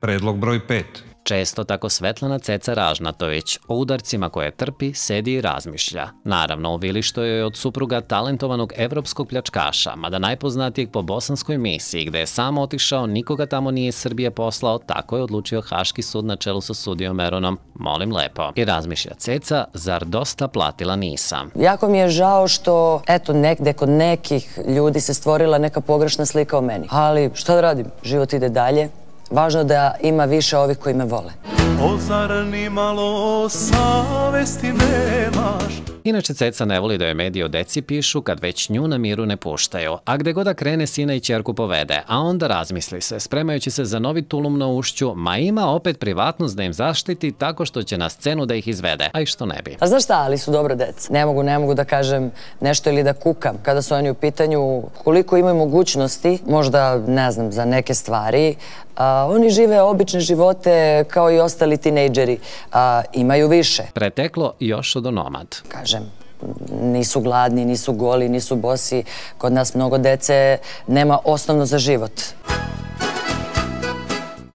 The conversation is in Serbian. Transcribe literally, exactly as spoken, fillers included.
Predlog broj pet. Često tako Svetlana Ceca Ražnatović o udarcima koje trpi sedi i razmišlja. Naravno, u vili što je od supruga talentovanog evropskog pljačkaša, mada najpoznatijeg po bosanskoj misiji, gde je sam otišao, nikoga tamo nije iz Srbije poslao, tako je odlučio Haški sud na čelu sa sudijom Meronom. Molim lepo. I razmišlja Ceca, zar dosta platila nisam? Jako mi je žao što, eto, negde kod nekih ljudi se stvorila neka pogrešna slika o meni. Ali, šta da radim? Život ide dalje. Važno da ima više ovih koji me vole. O, zar ni malo savesti nemaš? Inače, Ceca ne voli da joj mediji o deci pišu kad već nju na miru ne puštaju, a gde god da krene sina i ćerku povede, a onda razmisli se, spremajući se za novi tulum na ušću, ma ima opet privatnost da im zaštiti tako što će na scenu da ih izvede, a i što ne bi. A znaš šta, ali su dobro deca. Ne mogu, ne mogu da kažem nešto ili da kukam kada su oni u pitanju, koliko imaju mogućnosti, možda, ne znam, za neke stvari. A, oni žive obične živote kao i ostali tinejdžeri, a imaju više. Preteklo još od onomad. Kažem, nisu gladni, nisu goli, nisu bosi. Kod nas mnogo dece nema osnovno za život.